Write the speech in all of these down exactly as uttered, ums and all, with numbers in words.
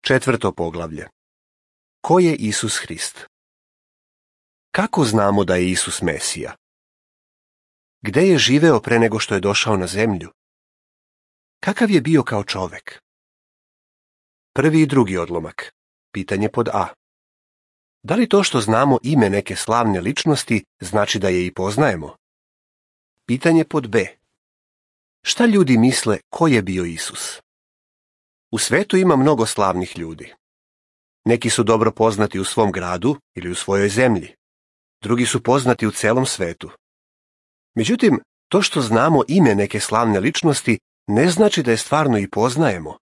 Četvrto poglavlje. Ko je Isus Hrist? Kako znamo da je Isus Mesija? Gde je živeo pre nego što je došao na zemlju? Kakav je bio kao čovek? Prvi i drugi odlomak. Pitanje pod A. Da li to što znamo ime neke slavne ličnosti znači da je i poznajemo? Pitanje pod B. Šta ljudi misle ko je bio Isus? U svetu ima mnogo slavnih ljudi. Neki su dobro poznati u svom gradu ili u svojoj zemlji. Drugi su poznati u celom svetu. Međutim, to što znamo ime neke slavne ličnosti ne znači da je stvarno i poznajemo.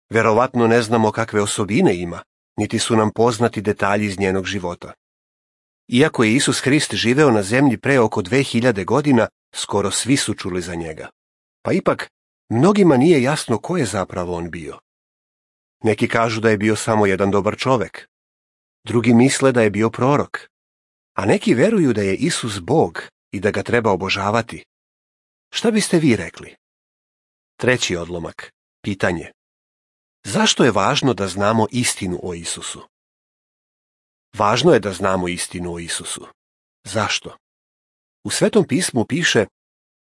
Verovatno ne znamo kakve osobine ima, niti su nam poznati detalji iz njenog života. Iako je Isus Hrist živeo na zemlji pre oko dve hiljade godina, skoro svi su čuli za njega. Pa ipak, mnogima nije jasno ko je zapravo on bio. Neki kažu da je bio samo jedan dobar čovek. Drugi misle da je bio prorok. A neki veruju da je Isus Bog i da ga treba obožavati. Šta biste vi rekli? Treći odlomak. Pitanje. Zašto je važno da znamo istinu o Isusu? Važno je da znamo istinu o Isusu. Zašto? U Svetom pismu piše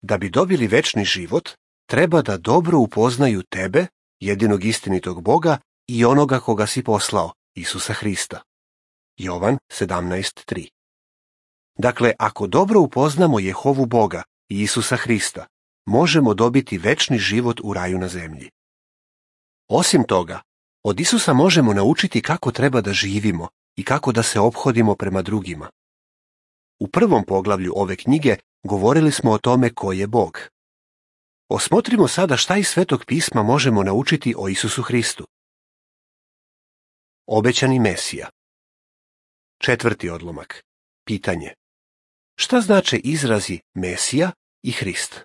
da bi dobili večni život, treba da dobro upoznaju tebe, jedinog istinitog Boga i onoga koga si poslao, Isusa Hrista. Jovan sedamnaest tri. Dakle, ako dobro upoznamo Jehovu Boga i Isusa Hrista, možemo dobiti večni život u raju na zemlji. Osim toga, od Isusa možemo naučiti kako treba da živimo i kako da se ophodimo prema drugima. U prvom poglavlju ove knjige govorili smo o tome ko je Bog. Osmotrimo sada šta iz Svetog pisma možemo naučiti o Isusu Hristu. Obećani Mesija. Četvrti odlomak. Pitanje. Šta znače izrazi Mesija i Hrist?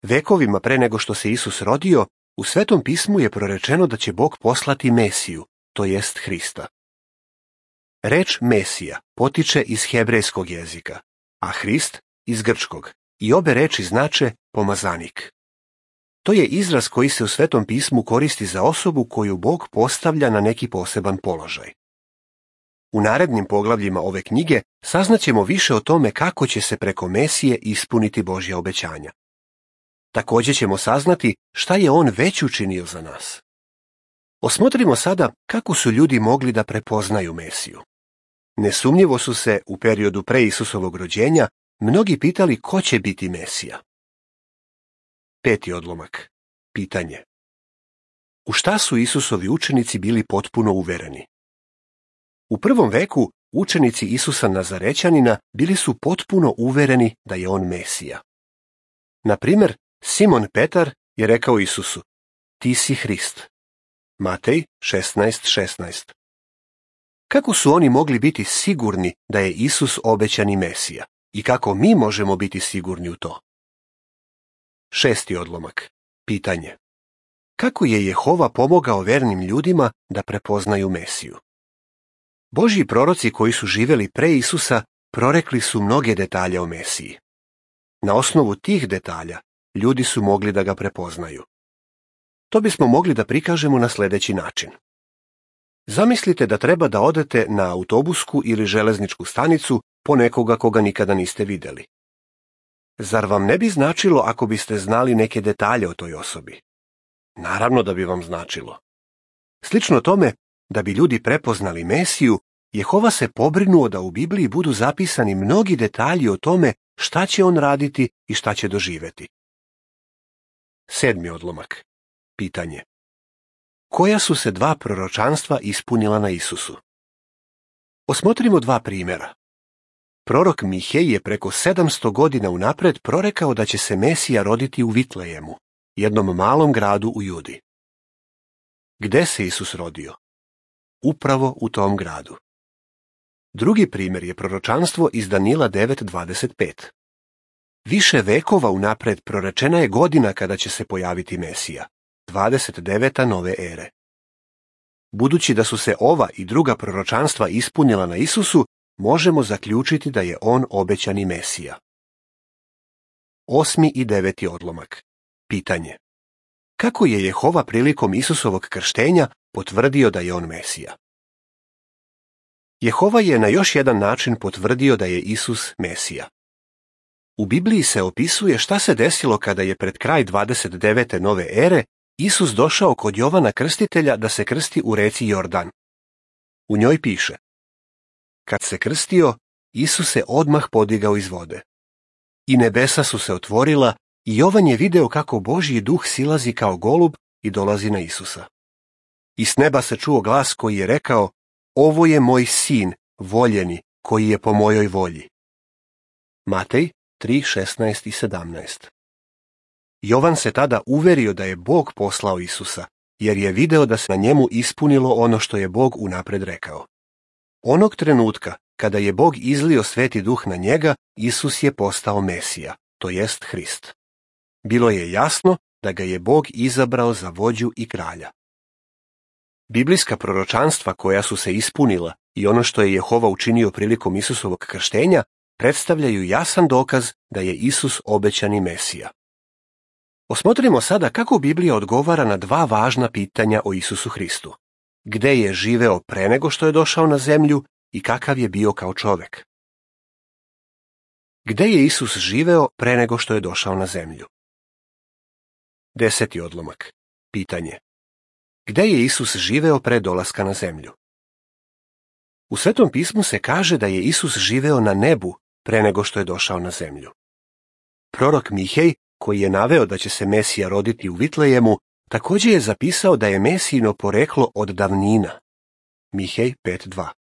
Vekovima pre nego što se Isus rodio, u Svetom pismu je prorečeno da će Bog poslati Mesiju, to jest Hrista. Reč Mesija potiče iz hebrejskog jezika, a Hrist iz grčkog, i obe reči znače pomazanik. To je izraz koji se u Svetom pismu koristi za osobu koju Bog postavlja na neki poseban položaj. U narednim poglavljima ove knjige saznaćemo više o tome kako će se preko Mesije ispuniti Božja obećanja. Također ćemo saznati šta je on već učinio za nas. Osmotrimo sada kako su ljudi mogli da prepoznaju Mesiju. Nesumnjivo su se u periodu pre Isusovog rođenja mnogi pitali ko će biti Mesija. Peti odlomak. Pitanje. U šta su Isusovi učenici bili potpuno uvereni? U prvom veku učenici Isusa Nazarećanina bili su potpuno uvereni da je on Mesija. Na primjer, Simon Petar je rekao Isusu: ti si Hrist. Matej šesnaest šesnaest. Kako su oni mogli biti sigurni da je Isus obećani Mesija i kako mi možemo biti sigurni u to? Šesti odlomak. Pitanje. Kako je Jehova pomogao vernim ljudima da prepoznaju Mesiju? Božji proroci koji su živeli pre Isusa prorekli su mnoge detalje o Mesiji. Na osnovu tih detalja ljudi su mogli da ga prepoznaju. To bismo mogli da prikažemo na sljedeći način. Zamislite da treba da odete na autobusku ili železničku stanicu po nekoga koga nikada niste vidjeli. Zar vam ne bi značilo ako biste znali neke detalje o toj osobi? Naravno da bi vam značilo. Slično tome, da bi ljudi prepoznali Mesiju, Jehova se pobrinuo da u Bibliji budu zapisani mnogi detalji o tome šta će on raditi i šta će doživeti. Sedmi odlomak. Pitanje. Koja su se dva proročanstva ispunila na Isusu? Osmotrimo dva primjera. Prorok Mihej je preko sedamsto godina unapred prorekao da će se Mesija roditi u Vitlejemu, jednom malom gradu u Judi. Gde se Isus rodio? Upravo u tom gradu. Drugi primjer je proročanstvo iz Danila devet dvadeset pet. Više vekova unapred prorečena je godina kada će se pojaviti Mesija, dvadeset deveta nove ere. Budući da su se ova i druga proročanstva ispunila na Isusu, možemo zaključiti da je on obećani Mesija. Osmi i deveti odlomak. Pitanje. Kako je Jehova prilikom Isusovog krštenja potvrdio da je on Mesija? Jehova je na još jedan način potvrdio da je Isus Mesija. U Bibliji se opisuje šta se desilo kada je pred kraj dvadeset devete nove ere Isus došao kod Jovana Krstitelja da se krsti u reci Jordan. U njoj piše: kad se krstio, Isus se odmah podigao iz vode. I nebesa su se otvorila i Jovan je video kako Božji duh silazi kao golub i dolazi na Isusa. I s neba se čuo glas koji je rekao: ovo je moj sin, voljeni, koji je po mojoj volji. Matej tri, šesnaest i sedamnaest. Jovan se tada uverio da je Bog poslao Isusa, jer je video da se na njemu ispunilo ono što je Bog unapred rekao. Onog trenutka, kada je Bog izlio Sveti Duh na njega, Isus je postao Mesija, to jest Hrist. Bilo je jasno da ga je Bog izabrao za vođu i kralja. Biblijska proročanstva koja su se ispunila i ono što je Jehova učinio prilikom Isusovog krštenja predstavljaju jasan dokaz da je Isus obećani Mesija. Osmotrimo sada kako Biblija odgovara na dva važna pitanja o Isusu Hristu. Gde je živeo pre nego što je došao na zemlju i kakav je bio kao čovek? Gde je Isus živeo pre nego što je došao na zemlju? Deseti odlomak. Pitanje. Gde je Isus živeo pre dolaska na zemlju? U Svetom pismu se kaže da je Isus živeo na nebu pre nego što je došao na zemlju. Prorok Mihej, koji je naveo da će se Mesija roditi u Vitlejemu, također je zapisao da je Mesijino poreklo od davnina. Mihej pet dva.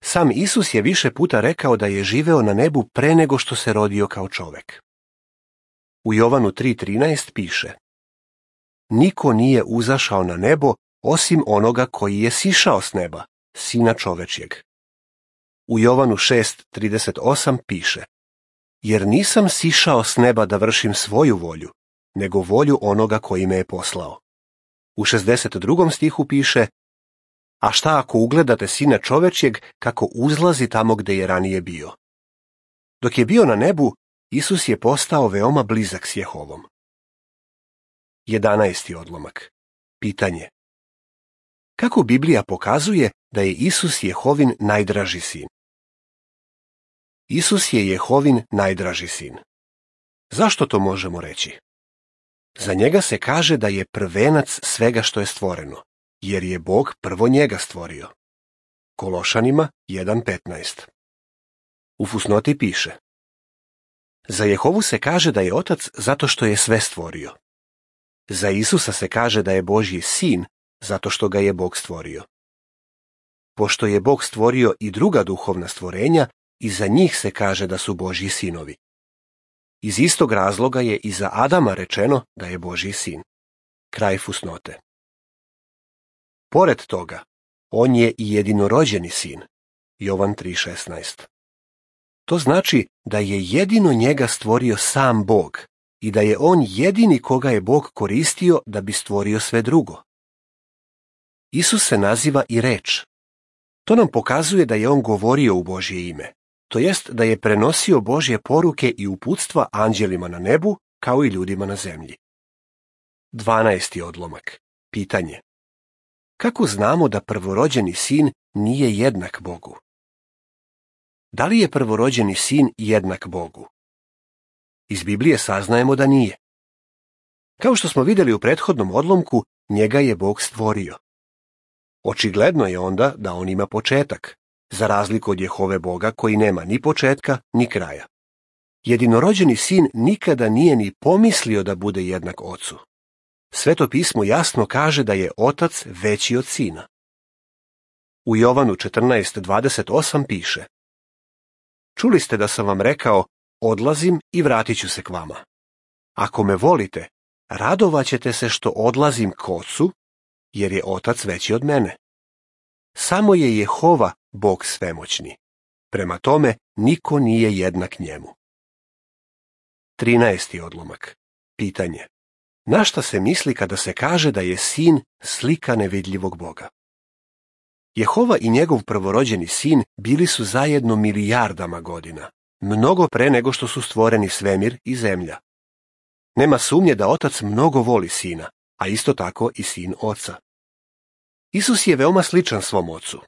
Sam Isus je više puta rekao da je živeo na nebu pre nego što se rodio kao čovek. U Jovanu tri trinaest piše: niko nije uzašao na nebo osim onoga koji je sišao s neba, Sina čovečjeg. U Jovanu šest trideset osam piše: jer nisam sišao s neba da vršim svoju volju, nego volju onoga koji me je poslao. U šezdeset drugom stihu piše: a šta ako ugledate Sina čovečjeg kako uzlazi tamo gde je ranije bio? Dok je bio na nebu, Isus je postao veoma blizak s Jehovom. Jedanaesti odlomak. Pitanje. Kako Biblija pokazuje da je Isus Jehovin najdraži sin? Isus je Jehovin najdraži sin. Zašto to možemo reći? Za njega se kaže da je prvenac svega što je stvoreno, jer je Bog prvo njega stvorio. Kološanima jedan petnaest. U fusnoti piše: za Jehovu se kaže da je otac zato što je sve stvorio. Za Isusa se kaže da je Božji sin zato što ga je Bog stvorio. Pošto je Bog stvorio i druga duhovna stvorenja, i za njih se kaže da su Božji sinovi. Iz istog razloga je i za Adama rečeno da je Božji sin. Kraj fusnote. Pored toga, on je i jedinorođeni sin. Jovan tri šesnaest. To znači da je jedino njega stvorio sam Bog i da je on jedini koga je Bog koristio da bi stvorio sve drugo. Isus se naziva i reč. To nam pokazuje da je on govorio u Božje ime, to jest da je prenosio Božje poruke i uputstva anđelima na nebu kao i ljudima na zemlji. Dvanaesti odlomak. Pitanje. Kako znamo da prvorođeni sin nije jednak Bogu? Da li je prvorođeni sin jednak Bogu? Iz Biblije saznajemo da nije. Kao što smo vidjeli u prethodnom odlomku, njega je Bog stvorio. Očigledno je onda da on ima početak, za razliku od Jehove Boga koji nema ni početka ni kraja. Jedinorođeni sin nikada nije ni pomislio da bude jednak ocu. Sveto pismo jasno kaže da je otac veći od sina. U Jovanu četrnaest dvadeset osam piše: čuli ste da sam vam rekao, odlazim i vratit ću se k vama. Ako me volite, radovaćete se što odlazim k ocu, jer je otac veći od mene. Samo je Jehova Bog svemoćni. Prema tome, niko nije jednak njemu. Trinaesti odlomak. Pitanje. Na šta se misli kada se kaže da je sin slika nevidljivog Boga? Jehova i njegov prvorođeni sin bili su zajedno milijardama godina, mnogo pre nego što su stvoreni svemir i zemlja. Nema sumnje da otac mnogo voli sina, a isto tako i sin oca. Isus je veoma sličan svom ocu.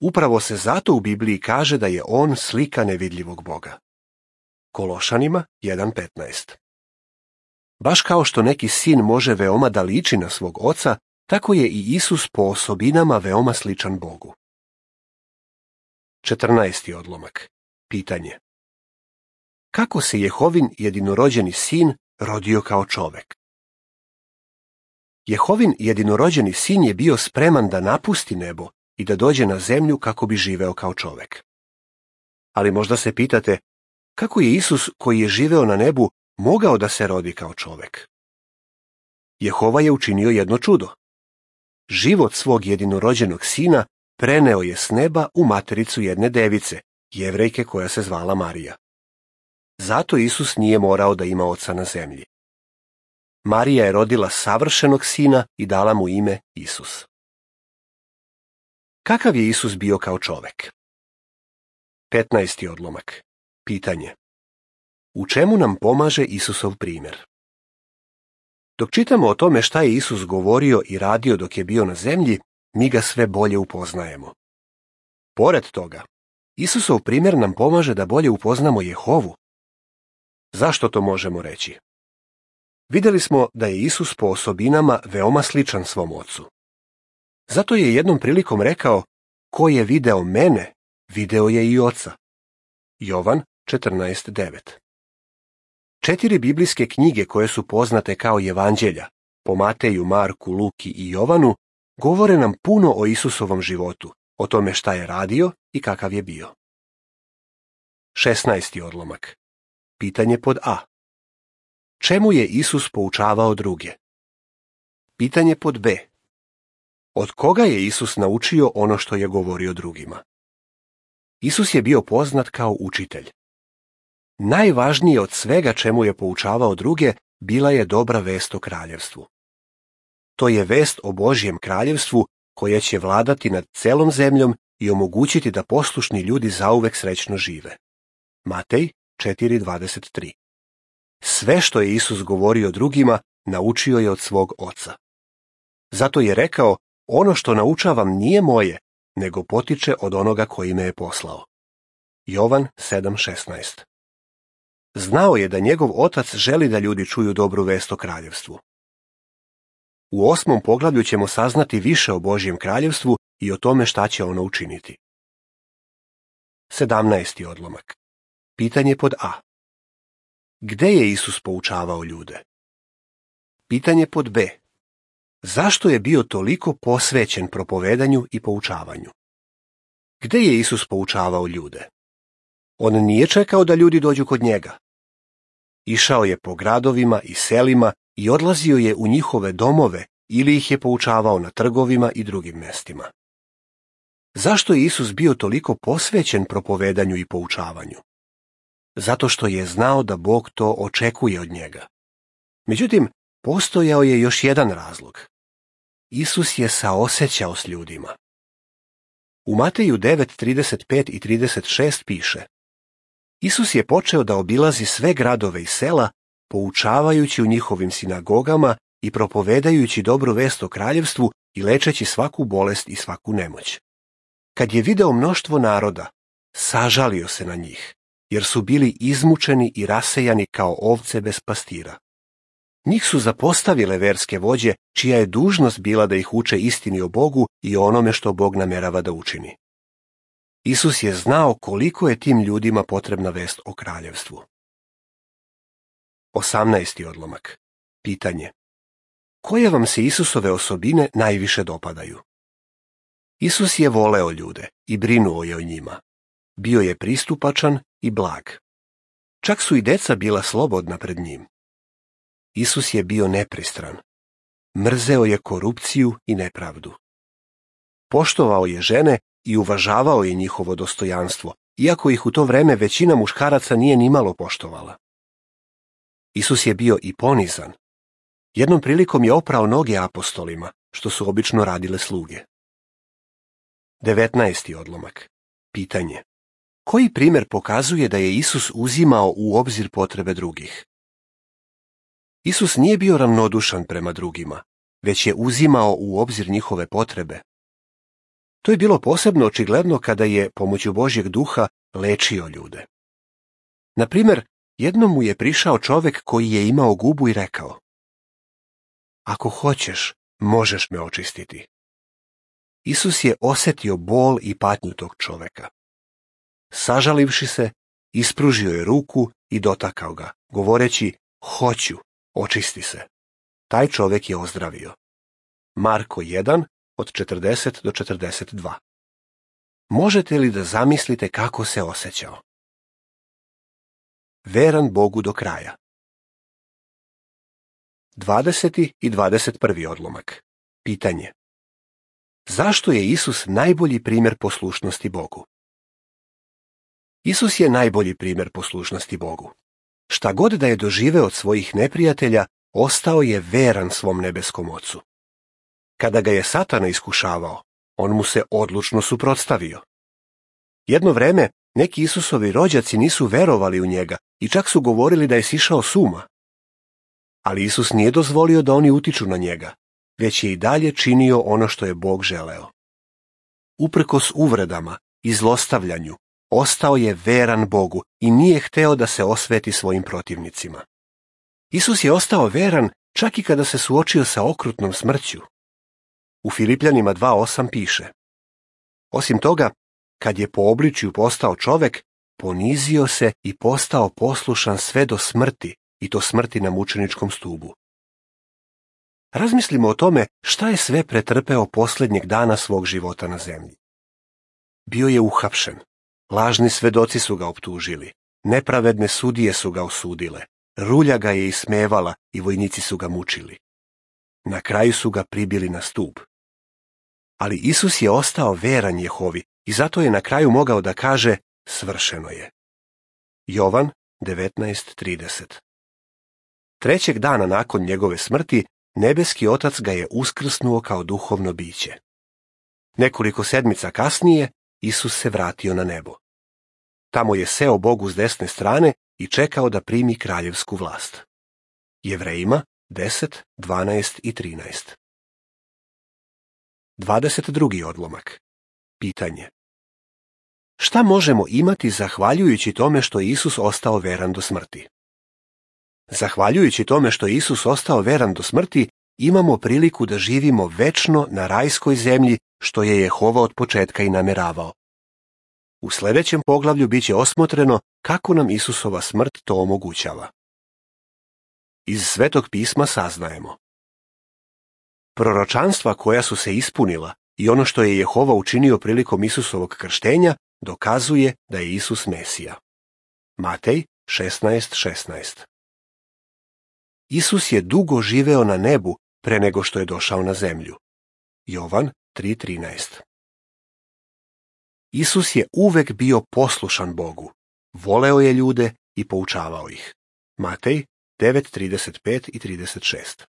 Upravo se zato u Bibliji kaže da je on slika nevidljivog Boga. Kološanima jedan petnaest. Baš kao što neki sin može veoma da liči na svog oca, tako je i Isus po osobinama veoma sličan Bogu. četrnaesti odlomak. Pitanje. Kako se Jehovin jedinorođeni sin rodio kao čovek? Jehovin jedinorođeni sin je bio spreman da napusti nebo i da dođe na zemlju kako bi živeo kao čovek. Ali možda se pitate, kako je Isus koji je živeo na nebu mogao da se rodi kao čovek? Jehova je učinio jedno čudo. Život svog jedinorođenog sina preneo je s neba u matericu jedne device, Jevrejke koja se zvala Marija. Zato Isus nije morao da ima oca na zemlji. Marija je rodila savršenog sina i dala mu ime Isus. Kakav je Isus bio kao čovek? petnaesti odlomak. Pitanje. U čemu nam pomaže Isusov primjer? Dok čitamo o tome šta je Isus govorio i radio dok je bio na zemlji, mi ga sve bolje upoznajemo. Pored toga, Isusov primjer nam pomaže da bolje upoznamo Jehovu. Zašto to možemo reći? Vidjeli smo da je Isus po osobinama veoma sličan svom ocu. Zato je jednom prilikom rekao, ko je video mene, video je i oca. Jovan četrnaest devet. Četiri biblijske knjige koje su poznate kao evanđelja, po Mateju, Marku, Luki i Jovanu, govore nam puno o Isusovom životu, o tome šta je radio i kakav je bio. šesnaesti odlomak. Pitanje pod A. Čemu je Isus poučavao druge? Pitanje pod B. Od koga je Isus naučio ono što je govorio drugima? Isus je bio poznat kao učitelj. Najvažnije od svega čemu je poučavao druge bila je dobra vest o kraljevstvu. To je vest o Božjem kraljevstvu koja će vladati nad celom zemljom i omogućiti da poslušni ljudi zauvek srećno žive. Matej četiri dvadeset tri. Sve što je Isus govorio drugima, naučio je od svog oca. Zato je rekao, ono što naučavam nije moje, nego potiče od onoga koji me je poslao. Jovan sedam šesnaest. Znao je da njegov otac želi da ljudi čuju dobru vest o kraljevstvu. U osmom poglavlju ćemo saznati više o Božjem kraljevstvu i o tome šta će ono učiniti. sedamnaesti odlomak. Pitanje pod A. Gde je Isus poučavao ljude? Pitanje pod B. Zašto je bio toliko posvećen propovedanju i poučavanju? Gde je Isus poučavao ljude? On nije čekao da ljudi dođu kod njega. Išao je po gradovima i selima i odlazio je u njihove domove ili ih je poučavao na trgovima i drugim mestima. Zašto je Isus bio toliko posvećen propovedanju i poučavanju? Zato što je znao da Bog to očekuje od njega. Međutim, postojao je još jedan razlog. Isus je saosećao s ljudima. U Mateju devet trideset pet i trideset šest piše: Isus je počeo da obilazi sve gradove i sela, poučavajući u njihovim sinagogama i propovedajući dobru vest o kraljevstvu i lečeći svaku bolest i svaku nemoć. Kad je video mnoštvo naroda, sažalio se na njih, jer su bili izmučeni i rasejani kao ovce bez pastira. Njih su zapostavile verske vođe, čija je dužnost bila da ih uče istini o Bogu i o onome što Bog namerava da učini. Isus je znao koliko je tim ljudima potrebna vest o kraljevstvu. osamnaesti odlomak. Pitanje. Koje vam se Isusove osobine najviše dopadaju? Isus je voleo ljude i brinuo je o njima. Bio je pristupačan i blag. Čak su i deca bila slobodna pred njim. Isus je bio nepristran. Mrzeo je korupciju i nepravdu. Poštovao je žene i uvažavao je njihovo dostojanstvo, iako ih u to vreme većina muškaraca nije nimalo poštovala. Isus je bio i ponizan. Jednom prilikom je oprao noge apostolima, što su obično radile sluge. devetnaesti odlomak. Pitanje. Koji primjer pokazuje da je Isus uzimao u obzir potrebe drugih? Isus nije bio ravnodušan prema drugima, već je uzimao u obzir njihove potrebe. To je bilo posebno očigledno kada je, pomoću Božjeg duha, lečio ljude. Na primjer, jednom mu je prišao čovjek koji je imao gubu i rekao: Ako hoćeš, možeš me očistiti. Isus je osjetio bol i patnju tog čovjeka. Sažalivši se, ispružio je ruku i dotakao ga, govoreći: Hoću, očisti se. Taj čovjek je ozdravio. Marko jedan, od četrdeset do četrdeset dva. Možete li da zamislite kako se osjećao? Veran Bogu do kraja. dvadeseti i dvadeset prvi odlomak. Pitanje. Zašto je Isus najbolji primjer poslušnosti Bogu? Isus je najbolji primjer poslušnosti Bogu. Šta god da je doživeo od svojih neprijatelja, ostao je veran svom nebeskom Ocu. Kada ga je Satana iskušavao, on mu se odlučno suprotstavio. Jedno vreme neki Isusovi rođaci nisu verovali u njega i čak su govorili da je sišao s uma. Ali Isus nije dozvolio da oni utiču na njega, već je i dalje činio ono što je Bog želeo. Uprkos uvredama i zlostavljanju, ostao je veran Bogu i nije hteo da se osveti svojim protivnicima. Isus je ostao veran čak i kada se suočio sa okrutnom smrću. U Filipljanima dva osam piše: Osim toga, kad je po obličju postao čovek, ponizio se i postao poslušan sve do smrti, i to smrti na mučeničkom stubu. Razmislimo o tome šta je sve pretrpeo posljednjeg dana svog života na zemlji. Bio je uhapšen, lažni svedoci su ga optužili, nepravedne sudije su ga osudile, rulja ga je ismevala i vojnici su ga mučili. Na kraju su ga pribili na stup. Ali Isus je ostao veran Jehovi i zato je na kraju mogao da kaže: svršeno je. Jovan devetnaest trideset. Trećeg dana nakon njegove smrti, nebeski Otac ga je uskrsnuo kao duhovno biće. Nekoliko sedmica kasnije, Isus se vratio na nebo. Tamo je seo Bogu s desne strane i čekao da primi kraljevsku vlast. Jevrejima deset, dvanaest i trinaest. dvadeset drugi odlomak. Pitanje. Šta možemo imati zahvaljujući tome što je Isus ostao veran do smrti? Zahvaljujući tome što je Isus ostao veran do smrti, imamo priliku da živimo večno na rajskoj zemlji, što je Jehova od početka i nameravao. U sljedećem poglavlju bit će osmotreno kako nam Isusova smrt to omogućava. Iz Svetog pisma saznajemo: proročanstva koja su se ispunila i ono što je Jehova učinio prilikom Isusovog krštenja dokazuje da je Isus Mesija. Matej šesnaest šesnaest. Isus je dugo živeo na nebu pre nego što je došao na zemlju. Jovan tri trinaest. Isus je uvek bio poslušan Bogu, voleo je ljude i poučavao ih. Matej devet trideset pet i trideset šest.